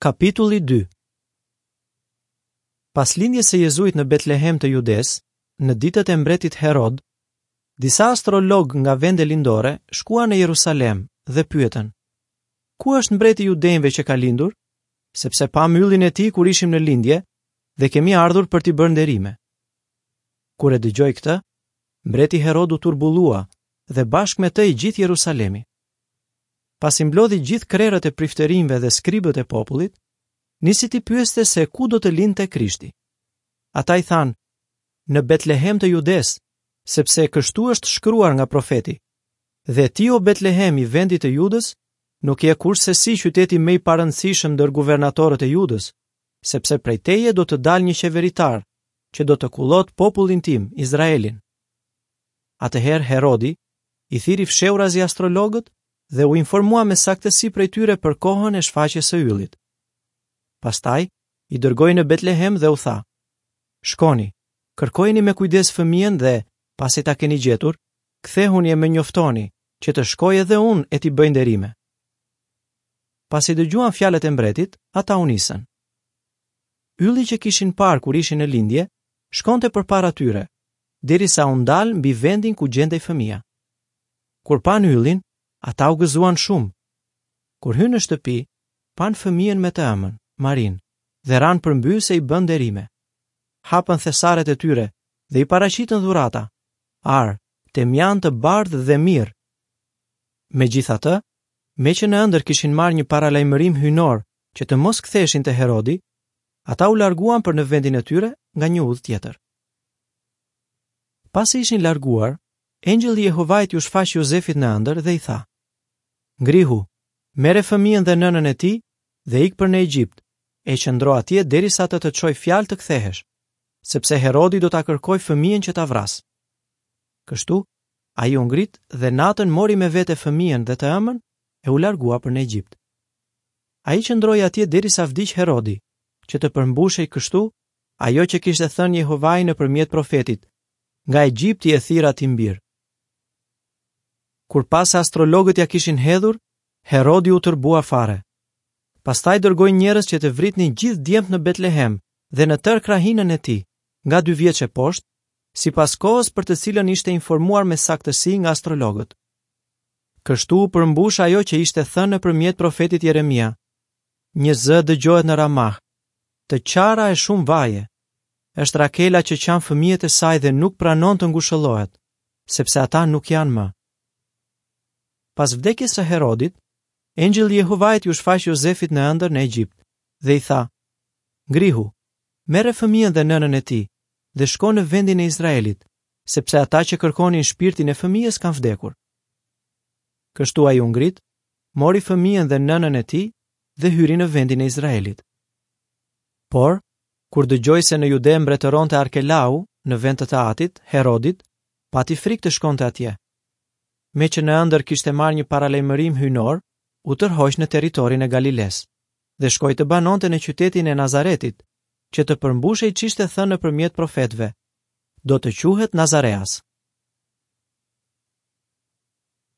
Kapitulli 2 Pas lindjes së Jezuit në Betlehem të Judesë, në ditët e mbretit Herod, disa astrologë nga vende lindore shkuan në Jerusalem dhe pyetën: Ku është mbreti i judenjve që ka lindur? Sepse pamë yllin e tij kur ishim në lindje dhe kemi ardhur për t'i bërë nderime. Kur e dëgjoi këtë, mbreti Herod u turbullua dhe bashkë me të i gjithë Jerusalemi. Pasi mblodhi gjithë krerët e priftërinjve dhe skribët e popullit, nisi t'i pyeste se ku do të lindte Krishti. Ata i thanë, në Betlehem të Judesë, sepse kështu është shkruar nga profeti. Dhe ti o Betlehem i vendit të Judës, nuk je kurrsesi qyteti më i parëndësishëm ndër guvernatorët e Judës, sepse prej teje do të dalë një qeveritar që do të kullotë popullin tim, Izraelin. Atëherë Herodi i thirri fshehurazi astrologët dhe u informua me saktësi prej tyre për kohën e shfaqjes së yllit. Pastaj i dërgoi në Betlehem dhe u tha: Shkoni, kërkojeni me kujdes fëmijën dhe, pasi ta keni gjetur, kthehuni e më njoftoni, që të shkoj edhe unë e t'i bëj nderime. Pasi dëgjuan fjalët e mbretit, ata u nisën. Ylli që kishin parë kur ishin në lindje, shkonte përpara tyre, derisa u ndal mbi vendin ku gjendej fëmija. Kur panë yllin, ata u gëzuan shumë. Kur hynë në shtëpi, panë fëmijën me të ëmën, Marinë, dhe ranë përmbys e i bënë nderime. Hapën thesaret e tyre dhe i paraqitën dhurata, ar, temjan të bardhë dhe mirë. Megjithatë, meqë në ëndërr kishin marrë një paralajmërim hyjnor që të mos ktheheshin te Herodi, ata u larguan për në vendin e tyre nga një udhë tjetër. Pasi ishin larguar, engjëlli i Jehovait iu shfaq Jozefit në ëndërr dhe i tha: Ngrihu, merre fëmijën dhe nënën e tij dhe ik për në Egjipt, e qëndro atje derisa të të çoj fjalë të kthehesh, sepse Herodi do ta kërkojë fëmijën që ta vrasë. Kështu, ai u ngrit dhe natën mori me vete fëmijën dhe të ëmën e u largua për në Egjipt. Ai qëndroi atje derisa vdiq Herodi, që të përmbushej kështu Ajo që kishte thënë Jehovai nëpërmjet profetit, nga Egjipti e thirra tim bir. Kur pa se astrologët ia kishin hedhur, Herodi u tërbua fare. Pastaj dërgoi njerëz që të vritnin gjithë djemtë në Betlehem dhe në tërë krahinën e tij, nga dy vjeç e poshtë, sipas kohës për të cilën ishte informuar me saktësi nga astrologët. Kështu u përmbush ajo që ishte thënë nëpërmjet profetit Jeremia. Një zë dëgjohet në Ramah, të qara e shumë vaje. Është Rakela që qan fëmijët e saj dhe nuk pranon të ngushëllohet, sepse ata nuk janë më. Pas vdekjes së Herodit, engjëlli i Jehovait iu shfaq Jozefit në ëndërr në Egjipt dhe i tha: Ngrihu, merre fëmijën dhe nënën e tij dhe shko në vendin e Izraelit, sepse ata që kërkonin shpirtin e fëmijës kanë vdekur. Kështu ai u ngrit, mori fëmijën dhe nënën e tij dhe hyri në vendin e Izraelit. Por, kur dëgjoi se në Jude mbretëronte Arkelau në vend të të atit, Herodit, pati frikë të shkonte atje. Meqë në ëndërr kishte marrë një paralajmërim hyjnor, u tërhoq në territorin e Galilesë dhe shkoi të banonte në qytetin e Nazaretit, që të përmbushej ç'ishte thënë nëpërmjet profetëve, do të quhet Nazareas.